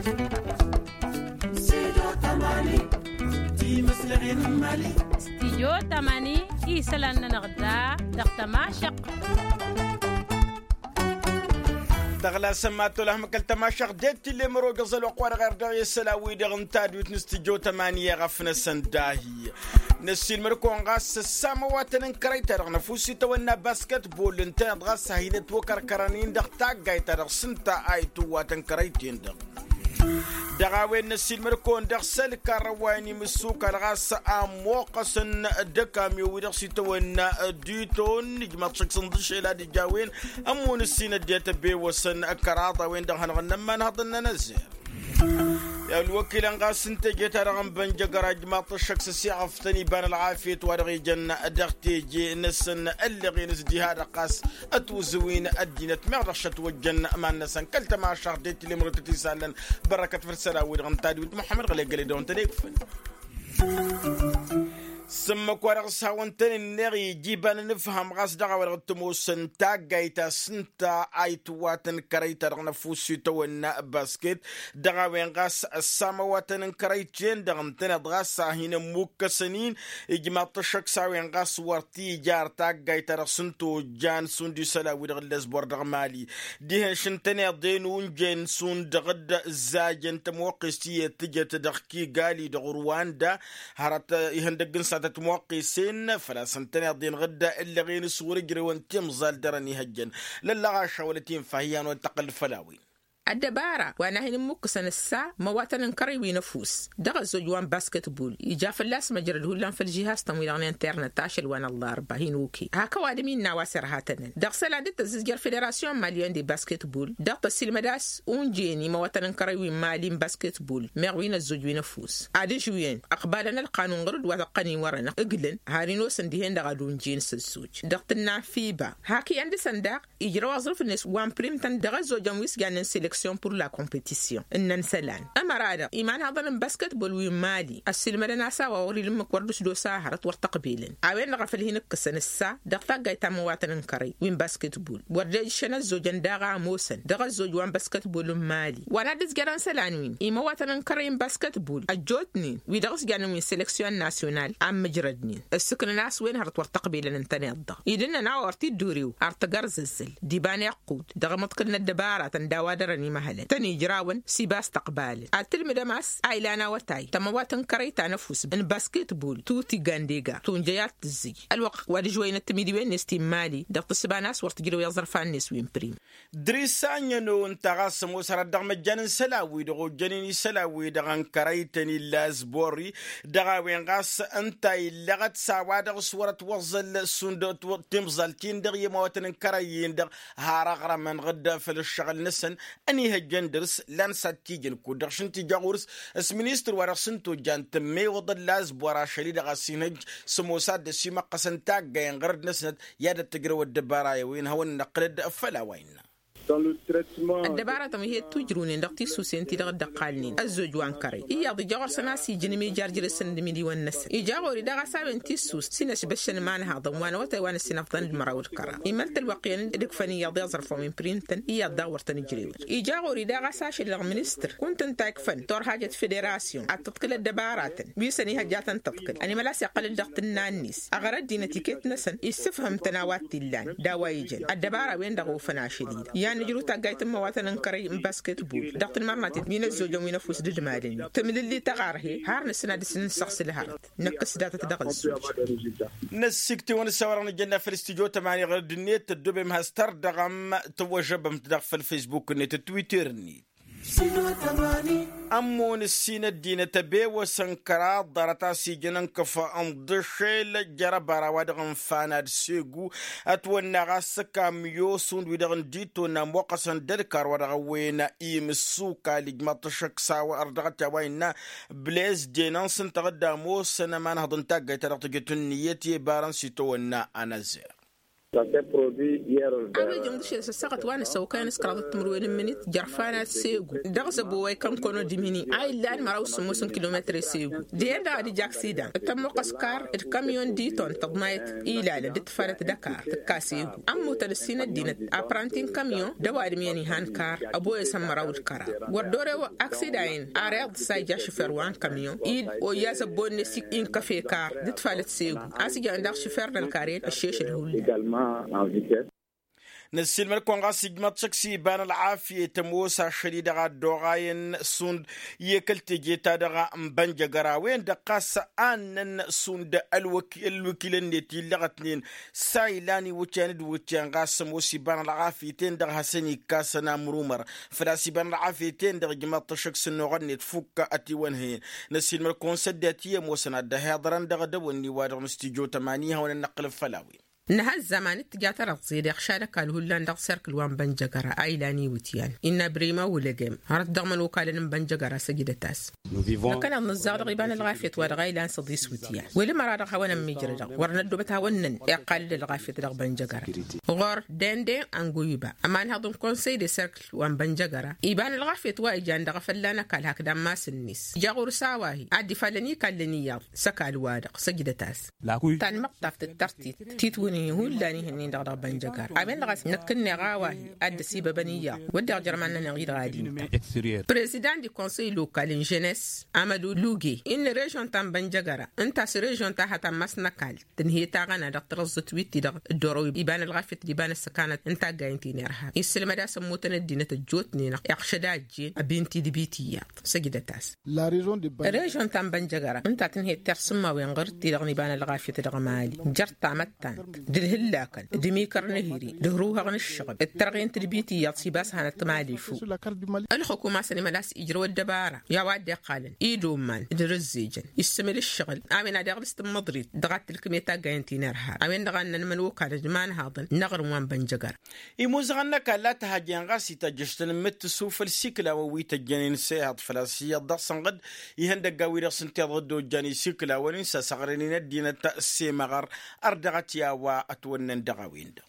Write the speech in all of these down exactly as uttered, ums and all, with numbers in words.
Stidyo tamani isălan-nănăɣ da dăɣ-tămašăɣt. Tăɣlasăm ma tolăhăm kăl-tămašăɣt det-t-ille mărogăẓ ălwăqq-wa-dăɣ erdăɣ i-isălan-wi-dăɣ n-tadwit n-stidyo tamani i-ɣăf-năsăn dahi. Năssiilmăd-kăwăn ɣas s-ăssamăwatăn n-kărăy-ta-dăɣ n-ăfuss itawănna basketbol ǝntăneḍ ɣas a hin-ătwăkărkărăn-in dăɣ-taggayt-ta-dăɣ s-ǝnta a itǝwwatăn kărăy-ten-dăɣ. Dăɣ-a-wen năssiilmăd-kăwăn dăɣ-sălkarrăw wa inǝmǝssukal ɣas a ămmoqqăsăn d-ăkamyo wi-dăɣ s-itawănna diton ijmaḍ šăkk s-ǝnḍǝššel ad-ija a-wen ămmun ǝssin ăddinăt ăbewăsăn kăraḍ a-wen-dăɣ hanăɣ-ănnămmanhăḍăn n-anăzzer. I-ălwăkilăn ɣas n-teje-ta-dăɣ n-bănjăgăra ǝjmaḍ-t ăššăk s-ăsiɣăf tăn-iba n-ălɣafyăt wa dăɣ-ijăn dăɣ-teje-năsăn ălleɣen s-diha-dăɣ ɣas ătwǝzǝw-in ăddinăt meɣ dăɣ-šătwăjjăn iman-năsăn kăl-tămašăɣt de-t lemrătăt isalăn. Bărăkăt făll-isălan-wi-dăɣ n-tadwit muḥămmăd ɣǝlegăle dăɣ-wăn tăn-ekfăn. S-ǝmmǝk wa dăɣ-s hawăn-tăn-ǝnneɣ ija iba n-anǝfham ɣas dăɣ-a-wa dăɣ-tămoosăn taggayt ta s-ǝnta a itǝwwatăn kărăy-ta-dăɣ n-ăfuss itawănna basket. Dăɣ-a-wen ɣas ăssamăwatăn n-kărăy-ten-dăɣ ǝntăneḍ ɣas a hin-ămmukkăsăn-in. Ijmaḍ-t ăššăk s-a-wen ɣas wăr t-ija ar taggayt-ta-dăɣ s-ǝnta ojjan šund isălan-wi-dăɣ ǝllăs bor dăɣ-mali. Dihen šǝntăneḍ-en unjen šund dăɣ-dd-ǝzzajăn tămoqqest i-tǝjăt dăɣ-kigali dăɣ-ruwanda. Hărăt ihăndăgg n-satăt moqqesen făl-a-s ǝntăneḍ-en ɣǝdda ǝllăɣen s-wăr-ǝjrewăn timẓal dăr-ănihăjjăn. Lăllăɣaša wăla t-infa hi-han wăla t-tăqqǝl făll-a-wen. Ăddăbara wa n-ad-hin-ǝmmukkǝsăn ǝssa măwatăn n-kărăy wi n-ăfuss dăɣ-ăzzoj wa n-basketbol ija fălla-s măjrăd hullan făll-žihastăn-wi-dăɣ n-internet ašăl wa n-ăllarba hin-oke hak ăwadǝm innă a-wa s-irhatănăn dăɣ-isălan dd-tăzzǝzjăr federasyon maliyăn de basketbol dăɣ-tăsilmăd a-s unjen imăwatăn n-kărăy wi n-mali n-basketbol meɣ wi n-ăzzoj wi n-ăfuss ad-ǝžwǝyăn ăqbalăn ălqanun ɣur-dd wa tăqqăn-in wărăn ǝglǝn har inosăn dihen-dăɣ ad-unjen s-ăzzoj dăɣ-tǝnna n-fiba hak iyyăn dăɣ-săn daɣ ijrăw aẓrǝf-net wa n-prim-tăn dăɣ-ăzzojăn wi s-jannen seleksyon pur la kompătisyon ǝnnăn isălan ămăra-dăɣ imanhaḍăn n-basketbol wi n-mali ăssiilmădăn a-s a-wa wăr-ila ǝmmǝk wăr dăɣ-s d-osa hărăt wăr t-ăqbelăn a-wen-dăɣ a făl hin-ǝkkǝsăn ǝssa dăɣ-taggayt ta n-imăwatăn n-kărăy wi n-basketbol wăr dd-ejǝššăn ăzzojăn daɣ a ămoosăn dăɣ-ăzzoj wa n-basketbol n-mali wa n-ad-ǝzjărăn isălan-win imăwatăn n-kărăy n-basketbol ăjjootnen wi-dăɣ s-jannen wi n-seleksyon nasyonal a ǝmmǝjrădnen ǝssǝknăn a-s wen hărăt wăr t-ăqbelăn ǝntăneḍ-dăɣ idǝnnăn a-wa wăr t-dd-urew ar tăgărzăzzăl d-iba n-iqqud dăɣ-imǝḍkǝl n-ăddăbaratăn d-a-wa dăr-ănimăhălăn tăn-ijrawăn s-iba a-s tăqbalăn ad-tǝlmǝdăm a-s a ilan awătay tămăwat n-kărăy ta n-ăfuss n-basketbol tuti gandega tunjăy ad-tǝzzǝj ălwăqq wa d-ǝžwăynăt timidiwen-net ti n-mali dăɣ-tǝssǝba n-a-s wăr tǝjrăw i-aẓrǝfan-net wi n-prim. Dăr-isanyăn-o ǝnta ɣas ămoos hărăt dăɣ-măjjan n-isălan-wi-dăɣ ojjănen isălan-wi-dăɣ n-kărăy-tăn illa azborri dăɣ-a-wen ɣas ǝnta illăɣăt s-a-wa dăɣ-s wăr-ătwăẓẓăl šund timẓal-tin-dăɣ i-ămawătăn n-kărăy-in-dăɣ har aɣrămăn ɣǝdda făll-ǝššăɣǝl-năsăn ănihăjjăn dăr-s lan s-ad-t-ijăn kud-dăɣ šund t-ija ɣur-s s-ministăr wa dăɣ-s n-tojjan tǝmmewăḍ ălla azbor ašăl-i-dăɣ a-s inhăjj s-ămoos ad-dd-ăsimăqqăsăn taggay n-ɣărăd-năsnăt i-ad-ăttăjrăw ăddăbara i-wen hawăn-năqqǝlăd făll-a-wa innă. Ăddăbaratăn wi he-dd-tujrǝwnen dăɣ-tissusen-ti-dăɣ dd-ăqqalnen ăzzoj wa n-kărăy iyyăḍ ija ɣur-săn a-s ijăn imijărjrăsăn d-imidǝwăn-năsăn ija ɣur-i daɣ a-s a-wen tissus s-inăsbăššăn imanhaḍăn wa n-awătay wa n-ăssinăfḍăn d-măraw d-kăraḍ imăl-t ălwăqq iyyăn dd-ǝkfăn iyyăḍ i-aẓrǝf wa n-prim-tăn iyyăḍ daɣ wăr tăn-ǝjrewăn ija ɣur-i daɣ a-s ašăl dăɣ-ministăr kunta ǝnta ikfăn turhajăt federasyon ad-tǝḍkǝl ăddăbaratăn wi s-ănihăjja a tăn-tǝḍkǝl ănimăla a-s iqqăl-dd dăɣ-tǝnna-net ăɣrăd-in ătiket-năsăn issǝfhǝm-tăn a-wa t-illan d-a-wa ijăn ăddăbara-wen-dăɣ ofăn ašăl-i-dăɣ i-ad-nǝjrǝw taggayt n-imăwatăn n-kărăy n-basketbol dăɣ-tǝnmărnaten wi n-ăzzojăn wi n-ăfuss d-ǝdmadăn-i tǝmlǝlli tăɣarhe har nǝsǝn ad-dăr-s nǝssăɣsǝl hărăt năkk s-datăt dăɣ-ăzzoj. Năssiktewăn s-a-wa-dăɣ nǝjănna făll-studyo tămani ɣărăd-net tăddobem has-tărdăɣăm tăwwăžăbăm-t daɣ făll-facebook-net d-twitter-net. Ămmun ǝssin ăddinăt ăbewăsăn kăraḍ ḍarăt a-s ijăn ǝnkăf n-iḍǝšel jer-ăbara wa dăɣ-ǝnfan ad-segu ătwănna ɣas s-ăkam i-osund wi-dăɣ n-ditonna ămmoqqăsăn d-ălkar wa dăɣ-ăwwen imǝssukal ijmaḍ-t ăššăk s-a-wa ărdăɣăt i-a-wa innă blez denăn s-ǝnta ɣǝdda ămoosăn ămanhăḍ n-taggayt ta dăɣ-tǝjǝt ǝnniyăt i-ibarăn s-itawănna anăzer. A-wa ijǝmdǝšel s-ăssaɣăt wa n-ăssăwkăyăn s-kăraḍăt timǝrwen n-imǝnit jărfanat s-egu dăɣ-zăbo wa ikănkăno d-imǝni a illan măraw s-sǝmmos n-kilometre s-egu. Dăɣ-en-dăɣ ad-ija aksidan tămmoqqăs kar d-kamyon d-iton tăḍmayăt ilalăn d-tifalăt d-ăkar tǝkka s-egu ămmutăn ǝssin ăddinăt apranti n-kamyon d-ăwadǝm iyyăn ihan kar ăboyăsăn măraw d-kăraḍ wăr dor-e-wăr aksidan-in. Ar iḍǝs a ija šufer wa n-kamyon-i d-oyya zăbbo-net inkăf ekar d-tifalăt s-egu a-s ǝjăn daɣ šufer n-ălkar-en ăššešăl hullan. Năssiilmăd-kăwăn ɣas ijmăḍ šăkk s-iba n-ălɣafyet ămoos ašăl-i-dăɣ a dd-oɣayăn šund i-ekăl teje-ta-dăɣ n-bănjăgăr a-wen-dăɣ ɣas a ǝnnăn šund ălwăkil-ălwăkil-net illăɣătnen s-a ilan iwǝtyan d-iwǝtyan ɣas ămoos iba n-ălɣafyet-en-dăɣ hasăn-ikkasăn amrumăr făl-a-s iba n-ălɣafyet-en-dăɣ ijmăḍ-t ašăk s-ănnuɣăn-net fukk ătiwănhăyăn. Năssiilmăd-kăwăn s-ăddinăt i-ămoosăn ad-dd-ăhiḍărăn dăɣ-edăwănni-wa-dăɣ n-studyo tămani hawăn-ănnăqqǝlăb făll-a-wen. Nǝha ăzzăman d-tǝja tarăɣẓe deɣ šad ăkall hullan dăɣ-serkǝl wa n-bănjăgăra a ilan iwǝtyan innă brima wulăgem hărăt dăɣ-imănokalăn n-bănjăgăra săjdăt-as. Năkkăneḍ nǝzzaɣ dăɣ-iba n-ălɣafyăt wa dăɣ-a ilan săḍis wǝtyan wăla măra dăɣ-hawăn-ămmijrădăɣ wăr năddoobăt hawăn-năn iqqal-dd ălɣafyăt dăɣ-bănjăgăra. Ɣur-dende anguiba ămanhăḍ n-konsăy de serkǝl wa n-bănjăgăra iba n-ălɣafyăt wa ijan dăɣ-efălla n-ăkall hakd ammas-net ija ɣur-s a-wa-hi ad-dd-ifalăn ikallăn iyyăḍ s-ăkall-wa-dăɣ săjdăt-as. Tanmăṭṭaft d-tărtit titwǝnhi hullan ihǝnnin-dăɣ dăɣ-bănjăgar a-wen-dăɣ a-s năkk ǝnneɣ a-wa-hi ad-dd-ăsibăbăn iyyăḍ wădden ăjrămăn-nănăɣ-i-dăɣ ad-intăn. Prezidant di konsăy lokal n-žănes amădu luge innă režon ta n-bănjăgăra ǝnta a-s režon ta hăt ammas n-ăkall tǝnhăy taɣăna dăɣ-tărăẓẓǝt wi t-dăɣ dd-oroy iba n-ălɣafyăt d-iba n-ăssăkanăt n-taggaynt-in irhab isǝlmăd a-s ămmutăn ăddinăt ăjjootnen iɣšăd a ăjjeen ăbinti d-ibit iyyăḍ. Săjdăt-as režon ta n-bănjăgăra ǝnta a tǝnhăyăt tirsǝmmawen ɣur-t-i-dăɣ n-iba n-ălɣafyăt dăɣ-mali jer-tamăttant d-ǝlhǝllakăn d-imikăr n-ehǝri d-ǝhruhăɣ n-ǝššăɣǝl d-tărɣe n-tadbit iyyăḍ s-ibas hanăt-t mali fuk. Ălxukum a-s ănimălas ijrăw ăddăbara i-a-wa dd-iqqalăn idomman d-arǝzzejăn issǝmǝl ǝššăɣǝl a-wen ad-iɣlǝs tǝmmăḍrit dăɣ-ad-tǝlkǝm i-taggayăn ti n-irhab a-wen-dăɣ a ǝnnăn imănokalăn d-imanhaḍăn n-aɣrǝm wa n-bănjăgăra. Imuzăɣăn n-ăkall a tǝhăjjen ɣas itajjăš-tăn n-imǝttǝsu făll-isikǝlawăn wi tăjjănen s-ehăḍ făl-a-s iyyăḍ dăɣ-săn ɣǝd ihăndăggan-wi-dăɣ s-ǝnta iḍǝddo ǝjjan isikǝlawăn-in s-asăɣrănen ăddinăt s-emăɣăr. Ărdăɣăt i-a-wa ătwănnăn dăɣ-a-wen-dăɣ.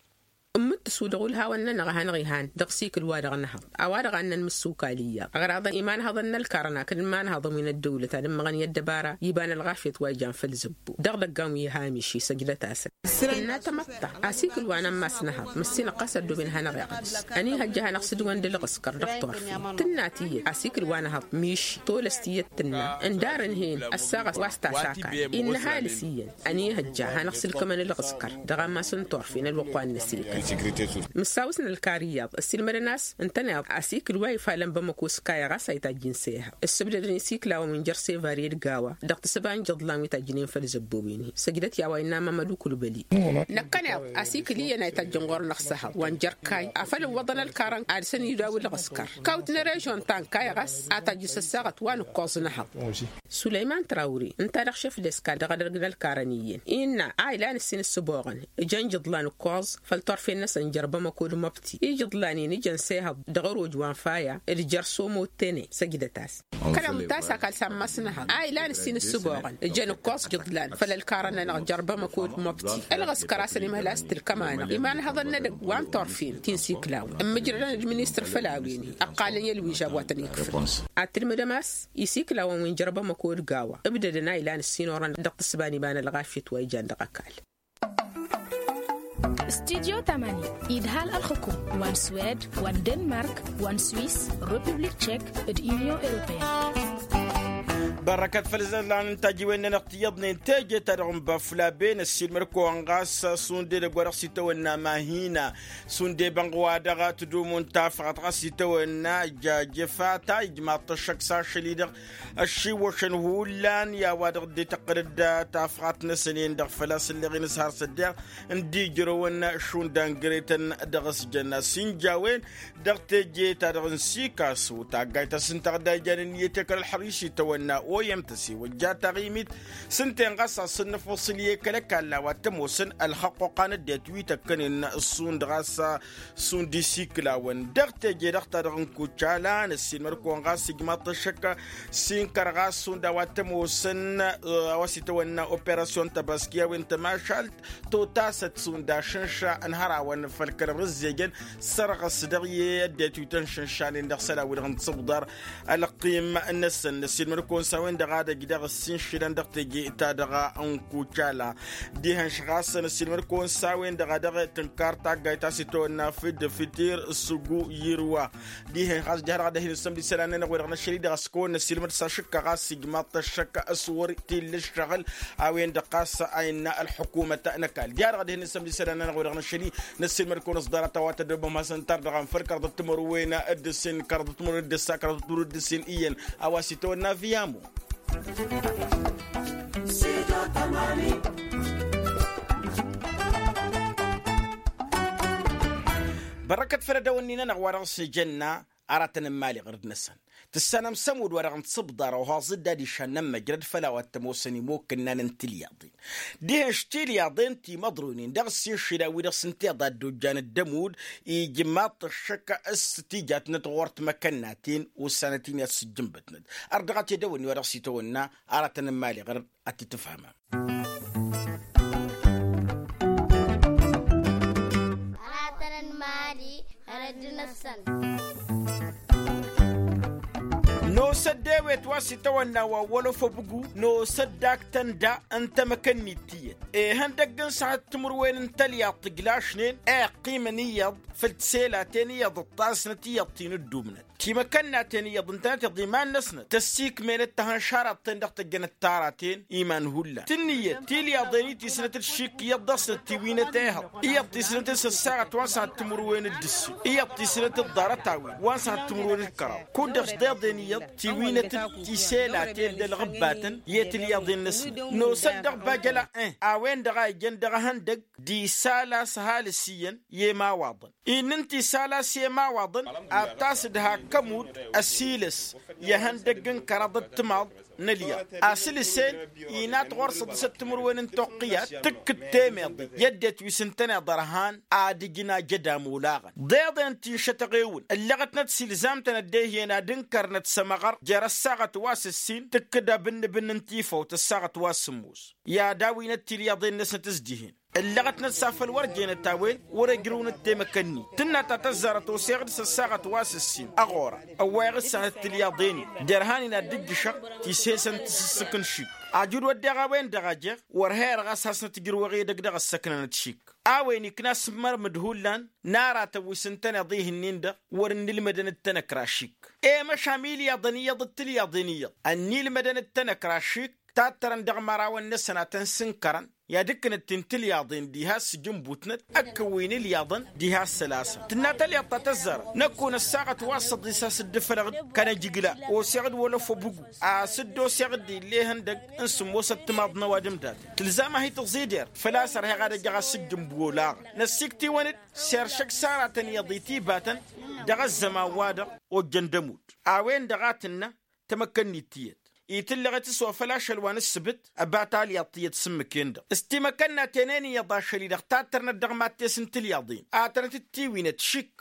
N-imǝttǝsu dăɣ-ulhawăn-nănăɣ a hanăɣ-ihan dăɣ-isikǝl-wa-dăɣ n-ehăḍ a-wa-dăɣ a ǝnnăn mǝssukal iyyăḍ ăɣraḍăn imanhăḍăn n-ălkarăn hakd imanhăḍăn wi n-ăddăwlăt ad-ǝmmăɣăn i-ăddăbara iba n-ălɣafyăt wa ijan făll-zăbbo dăɣ-idăggan wi hamiši săjdăt-asăn. Tǝnna tamăḍt ta asikǝl wa n-ammas n-ehăḍ măssinăɣ ɣas ăddooben hanăɣ-iɣlǝs ănihăjja hanăɣ-sǝdǝwăn d-ălɣǝskăr dăɣ-turfen tǝnna tiyyăt asikǝl wa n-ehăḍ miši tolăs tiyyăt tǝnna ǝndarăn hen ăssaɣăt wa s-tasakal innă ăhalǝs iyyăn ănihăjja hanăɣ-sǝlkămăn ălɣǝskăr dăɣ-ammas n-turfen ălwăqq wa n-inăsilkăn. Mǝssawǝsnăl kar iyyăḍ ăssiilmădăn a-s ǝntăneḍ asikǝl wa ifalăn bamăko s-kayăɣ a-s a itajjǝn s-ehăḍ ǝssǝbdădăn isiklawăn wi n-jer-sevari d-gawa dăɣ-tǝssǝba n-ijǝḍlan wi tajjǝnen făll-zăbbowen-hi săjdăt i-a-wa innă mamăd ukulbăli. Năkkăneḍ asikǝl iyyăn a itajjăn ɣur-năɣ s-ehăḍ wa n-jer-kay afăl ǝwwăḍăn ălkarăn ad-săn-idawǝl ɣǝskăr kawt n-režon ta n-kayăɣ a-s a tajjǝs ăssaɣăt wa n-ǝkkoẓ n-ehăḍ. Sulăyman trawre ǝnta-dăɣ šef d-eskal dăɣ-edăgg n-ălkarăn iyyăn innă a ilan ǝssin ǝssǝboɣăn ǝjăn ijǝḍlan ǝkkoẓ făll-turfen-năsăn jer-bamăko d-măbti ijǝḍlan-in ǝjăn s-ehăḍ dăɣ-ăroj wa n-faya d-jer-somo tene săjdăt-as. Kăneḍ ǝnta a-s akal s-ammas n-ehăḍ a ilan ǝssin ǝssǝboɣăn ǝjăn ǝkkoẓ ijǝḍlan făll-ălkarăn-nănăɣ jer-bamăko d-măbti ălɣǝskăr a-s ănimhăl a-s tǝlkăm-anăɣ imanhăḍăn n-edăgg wa n-turfen ti n-siklawăn ǝmmǝjrădăn d-ministăr făll-a-wen-hi ăqqalăn i-ălwižab wa tăn-ikfǝl. Ad-tǝlmǝdăm a-s isiklawăn wi n-jer-bamăko d-gawa ǝbdădăn a ilan ǝssin orăn dăɣ-tǝssǝba n-iba n-ălɣafyăt wa ijan dăɣ-ăkall. Studyo tămani idhal ălxǝkum wa n-swed wa n-denmark wa n-swis, republik tšek d-inyon europeyăn. Bărrăkăt făll-izăllan n-tajiwen-nănăɣ tiyyăḍnen teje-ta-dăɣ n-băflaben ăssiilmăd-kăwăn ɣas šund edăgg wa dăɣ-s itawănna mahina šund ebănɣ wa dăɣ-tǝdumǝn tafɣăt ɣas itawănna jajăfa ta ijmaḍ-t ăššăk s-ašăl-i-dăɣ ăššiwwăšăn hullan i-a-wa dăɣ-dd-ităqqălăd tafɣat-năsăn-en-dăɣ făl-a-s ǝlleɣ-in s-har s-ăddeɣ n-dd-ijrăwăn šund angretăn dăɣ-s jăn a-s inja a-wen dăɣ-teje-ta-dăɣ n-sikasu taggayt ta s-ǝnta dăɣ-dd-ijan ǝnniyăt i-kăl-ălxăriš itawănna. oyem tăsewăjja taɣimit s-ǝnta-en ɣas a-s ǝnnăfosǝl i-kăl-ăkall a-wa t-ămoosăn ălxăqquqa n-ăddinăt wi tăkkănen šund ɣas šund isikǝlawăn dăɣ-teje-dăɣ ta dăɣ-nǝkucala. Năssiilmăd-kăwăn ɣas ijmaḍ-t ăššăk s-inkăr ɣas šund a-wa t-ămoosăn a-wa s-itawănna operasyon tăbaski a-wen tămašalt totasăt šund ašǝnša n-hărawăn făll-kăl-ărǝzzejăn sărɣǝs dăɣ-i ăddinăt wi tăn-šǝnšanen dăɣ-isălan-wi-dăɣ n-tisǝbḍar. Ălqim-năsăn năssiilmăd-kăwăn s-a-wen-dăɣ ad-ăj dăɣ-ǝssin šilăn dăɣ-teje ta dăɣ-nǝkucala. Dihen-š ɣas năssiilmăd-kăwăn s-a-wen-dăɣ a dăɣ-tǝnkar taggayt ta s-itawănna făll-dăfiter s-ǝggu irwa. Dihen ɣas ǝjhăr dăɣ-ad-hin-ǝssǝmd isălan-nănăɣ-wi-dăɣ năšăl-i-dăɣ s-kăwăn-năssiilmăd s-ašǝkka ɣas ijmaḍ-t ăššăk s-wăr t-illa ǝššăɣǝl a-wen-dăɣ ɣas a innă ălḥukumăt n-ăkall. Ǝjhăr dăɣ-ad-hin-ǝssǝmd isălan-nănăɣ-wi-dăɣ năšăl-i năssiilmăd-kăwăn s-ḍarăt a-wa tăddobăm hasăn-tar-dăɣ anfăl kăraḍăt timărwen d-ǝssin kăraḍăt timărwen d-ǝssa kăraḍăt timărwen d-ǝssin iyyăn a-wa s-itawănna viyamu. Bărrăkăt făll-edăwăn n-inănăɣ wa dăɣ-s ijănna aratăn n-imali ɣărd-năsăn tǝssanăm s-ămudd wa dăɣ-nǝsǝbḍar ohaẓ-dd ad-išannăn măjrăd făll-a-wa t-ămoosăn imokǝnnan n-tilyaḍen. Dihen š-tilyaḍen timăḍroynen dăɣ-s inšila wi-dăɣ s-ǝnta iḍa dd-ojjan dd-ămudd ijmaḍ-t ăššăk s-tijatnăt ɣur-timăkănnaten ossanăt-in i-ad-sǝjjǝnbătnăt. Ărdăɣăt edăwănni wa dăɣ-s itawănna aratăn n-imali ɣărd ad-t-tǝfhămăm. Aratăn n-imali ɣărd-năsăn. Nosăt d-ewet wa s-itawănna wa wălof ăbǝgu nosăt d-ak tănda n-tamăkănnit tiyyăt ihăndăgg n-săhăt timǝrwen n-tălyaḍt tǝjlašnen iqqimăn iyyăḍ făll-tiselaten iyyăḍ ǝṭṭasnăt iyyăḍ ti n-ǝddumnăt timăkănnaten iyyăḍ ǝntănăt iḍa iman-năsnăt tăssikmenăt tăhănšaraḍ-ten dăɣ-tăjjănăt taraten iman hullan tǝnnǝyăt tilyaḍen-i tisnăt d-šik iyyăḍ dăɣ-snăt tiwinăt ehăḍ iyyăḍ tisnăt s-ăssaɣăt wa n-săhăt timǝrwen d-ǝssin iyyăḍ tisnăt d-ḍarăt-a-wen wa n-săhăt timǝrwen d-kăraḍ kud-dăɣ s-deḍen iyyăḍ tiwinăt d-tiselaten d-ălɣǝbbatăn i-tilyaḍen-năsnăt nosăt dăɣ-bajăla ih a-wen-dăɣ a ijăn dăɣ-ehăndăgg d-isal a-s ăhalǝs iyyăn i-imawaḍăn. Innă ǝnta isal a-s i-imawaḍăn ad-tas-dd hak ămudd ăsilăs i-ehăndăgg n-kăraḍ d-timaḍ n-ălyaḍ asǝlǝs-en. Inat ɣur-săḍǝsăt timǝrwen n-toqqǝyat tǝkkǝd temeḍe i-ăddinăt wi s-ǝntăneḍ ărhan ad-ǝjǝn ajădam olaɣăn deḍen ti n-šătăɣewǝn ǝllăɣătnăt s-ilzam-tăn ăddehăyăn ad-ǝnkărnăt s-ămăɣăr jer-ăssaɣăt wa s-ǝssin tǝkkǝd abǝnnǝbǝnn n-tifawt ăssaɣăt wa s-sǝmmos i-ad-awinăt tilyaḍen-năsnăt s-dihen ǝllăɣătnăt s-afăl wăr jenăt a-wen wăr-ăjrǝwnăt temăkănnit tǝnna ta tăzzarăt oseɣ-dd s-ăssaɣăt wa s-ǝssin ăɣora ăwwayăɣ-dd s-ahăt tilyaḍen-in jer-han-in ad-dd-ǝjjǝšăɣ tisesăn tǝsǝssǝk n-šik ajud wădden a-wen-dăɣ a jeɣ wăr heyăr ɣas hasnăt-ǝjrǝwăɣ edăgg dăɣ-ăssăknănăt šik a-wen ikna s-mărmǝd hullan n-aratăn wi s-ǝntăneḍ ih'-nin-dăɣ wăr-ǝnnǝlmădăn d-tanăkra šik i-măšan ilyaḍăn iyyăḍ d-tilyaḍen iyyăḍ ănnilmădăn d-tanăkra šik tattărăn dăɣ-imărawăn-năsăn a tăn-sǝnkărăn i-ad-ǝkkǝnăt-in tilyaḍen diha s-sǝjǝnbutnăt ǝkkǝwin ilyaḍăn diha s-sălasăn tǝnna talyaḍt ta tăzzarăt năkk unăssaɣăt wa s-săḍis a-s dd-ǝfălăɣ-dd kănăjǝgla oseɣ-dd wălăf ăbǝgu a-s dd-oseɣ-dd ill'-e ihăndăgg n-sǝmmosăt timaḍ n-ăwadǝm daten tǝlzam-ahi tǝẓider făl-a-s ărheɣ ad-ăjăɣ a-s sǝjjǝnbu olaɣăn năssiktǝwăn-dd s-eršăg s-aratăn iyyăḍ itibatăn dăɣ-ăzzăman-wa-dăɣ ojjăn d-ămudd a-wen-dăɣ a tǝnna tamăkkănnit tiyyăt itǝllăɣet s-wa făl ašăl wa n-ǝssǝbǝt ăba talyaḍt tiyyăt s-ǝmmǝk-en-dăɣ s-timăkkănnaten-en iyyăḍ ašăl-i-dăɣ tattărnăt dăɣ-mad-test n-tilyaḍen ad-tănăt-dd-tiwinăt šik